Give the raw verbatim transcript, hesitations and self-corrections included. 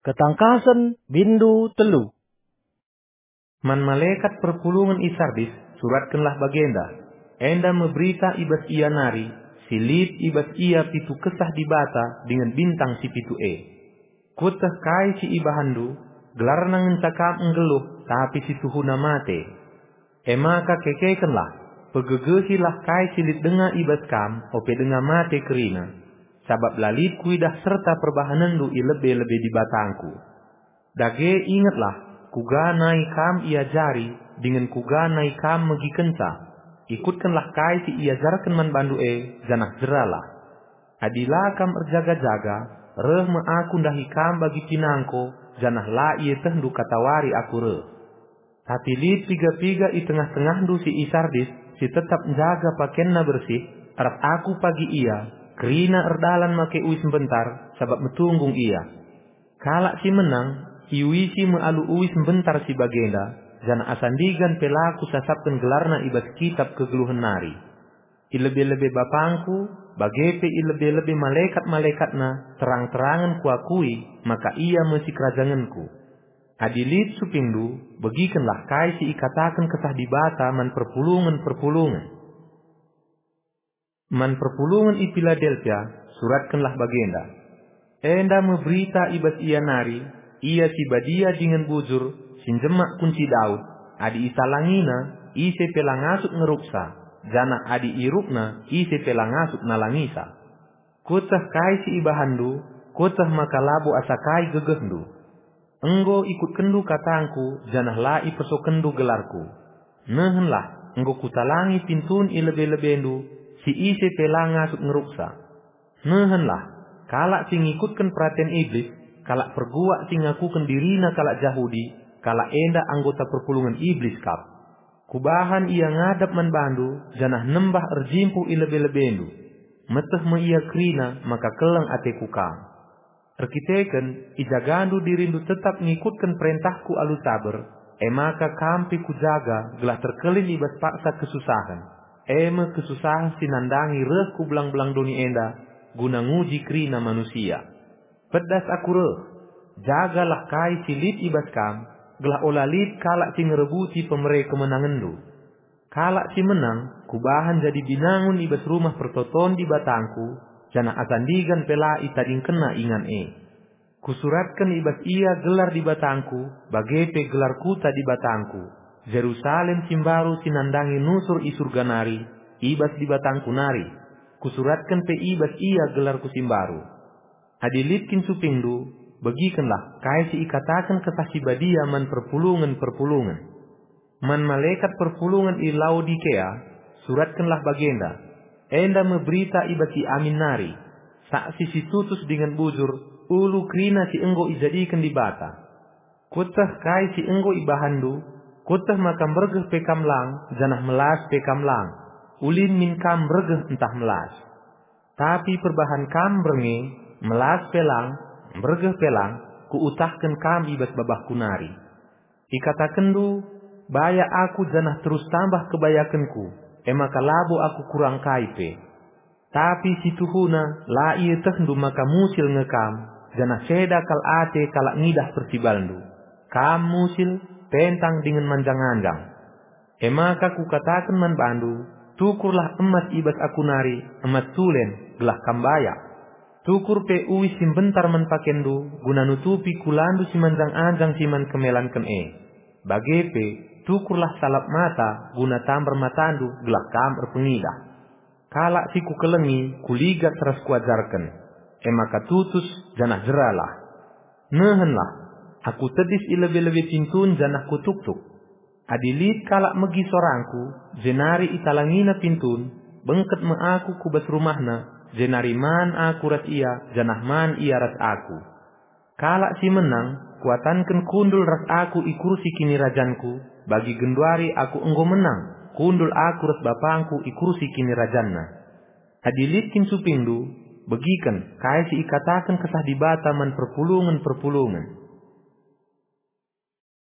Ketangkasen, bindu telu. Man malekat perpulungen i Sardis suratkenlah bagenda: Enda me berita i bas ia nari si lit i bas ia pitu Kesah Dibata dingen bintang si pitu e. Kueteh kai si ibahanndu, gelarna ngenca kam nggeluh, tapi si tuhuna mate. E maka kekekenlah, pegegehilah kai si lit denga i bas kam, ope denga mate kerina, sabap la lit kuidah serta perbahanenndu i lebe-lebe Dibatangku. Dage ingetlah, kuga nai kam iajari, dingen kuga nai kam megikenca. Ikutkenlah kai si iajarken man bandu e, janah jeralah. Adi la kam erjaga-jaga, reh me aku ndahi kam bagi pinangko, janah la ietehndu katawari aku reh. Tapi lit piga-piga i tengah-tengahndu si i Sardis, si tetap njaga pakenna bersih, arap aku pagi ia, kerina erdalan make uis mbentar, sabap metunggung ia. Kalak si menang, iuisi me alu uis mbentar si bagenda, janah asa ndigan pe la kusasapken gelarna i bas kitap kegeluhen nari. I lebe-lebe Bapangku, bage pe i lebe-lebe malekat-malekatNa, terang-terangen kuakui maka Ia me sikerajangenku. Adi lit supingndu, begikenlah kai si ikataken Kesah Dibata man perpulungen-perpulungen. Man perpulungen i Piladelpia, suratkenlah bagenda: Enda me berita i bas ia nari, ia si badia dingen bujur, si njemak kunci Daud, adi italangina, ise pe la ngasup ngeruksa, janah adi irukna, ise pe la ngasup nalangisa. Kueteh kai si ibahanndu, kueteh maka labo asa kai gegehndu. Enggo ikutkenndu katangku, janah la ipersokenndu gelarku. Nehenlah, enggo kutalangi pintun i lebe-lebendu, si ise pe la ngasup ngeruksa. Nehenlah, kalak si ngikutken peraten Iblis, kalak perguak si ngakuken dirina kalak Jahudi, kalak enda anggota perpulungen Iblis kap. Kubahan ia ngadap man bandu, janah nembah erjimpuh i lebe-lebendu. Meteh me ia kerina maka keleng ateku kam. Erkiteken ijagandu dirindu tetap ngikutken perentahku alu saber, e maka kam pe kujaga gelah terkelin i bas paksa kesusahen, e me kesusahen si nandangi reh ku belang-belang doni enda guna nguji kerina manusia. Pedas aku reh, jagalah kai si lit i bas kam, gelah ola lit kalak si ngerebuti pemere kemenangenndu. Kalak si menang kubahan jadi binangun i bas rumah pertoton Dibatangku, janah asa ndigan pe la itadingkenna ingan e. Kusuratken i bas ia gelar Dibatangku, bage pe gelar kuta Dibatangku, Jerusalem si mbaru si nandangi nusur i Surga nari, i bas Dibatangku nari. Kusuratken pe i bas ia gelarku si mbaru. Adi lit kin supingndu, begikenlah kai si ikataken Kesah Si Badia man perpulungen-perpulungen. Man malekat perpulungen i Laodikea, suratkenlah bagenda: Enda me berita i bas si amin nari, saksi si tutus dingen bujur, ulu kerina si enggo ijadiken Dibata. Kueteh kai si enggo ibahanndu, kueteh maka mbergeh pe kam lang, janah melas pe kam lang, ulin min kam mbergeh ntah melas. Tapi perbahan kam mbernge, melas pe lang, mbergeh pe lang, kuutahken kam i bas babahku nari. Ikatakenndu, "Baya aku janah terus tambah kebayakenku, e maka labo aku kurang kai pe." Tapi si tuhuna la ietehndu maka musil nge kam, janah ceda kal ate kalak ngidah persibalndu. Kam musil, pentang dingen manjang-anjang. E maka kukataken man bandu, tukurlah emas i bas aku nari, emas tulen, gelah kam bayak. Tukur pe uis si mbentar man pakenndu, guna nutupi kulandu si manjang-anjang si man kemelanken e. Bage pe, tukurlah salap mata, guna tambar matandu, gelah kam erpengidah. Kalak si kukelengi, kuligas ras kuajarken. E maka tutus, janah jeralah. Nehenlah, aku tedis i lebe-lebe pintun janah kutuktuk. Adi lit kalak megi sorangku, jenari italangina pintun, bengket me aku ku bas rumahna, jenari man aku ras ia, janah man ia ras aku. Kalak si menang, kuatanken kundul ras aku i kursi kinirajanku, bagi genduari aku enggo menang, kundul aku ras bapangku i kursi kinirajanna. Adi lit kin supingndu, begiken kai si ikataken Kesah Dibata man perpulungen-perpulungen.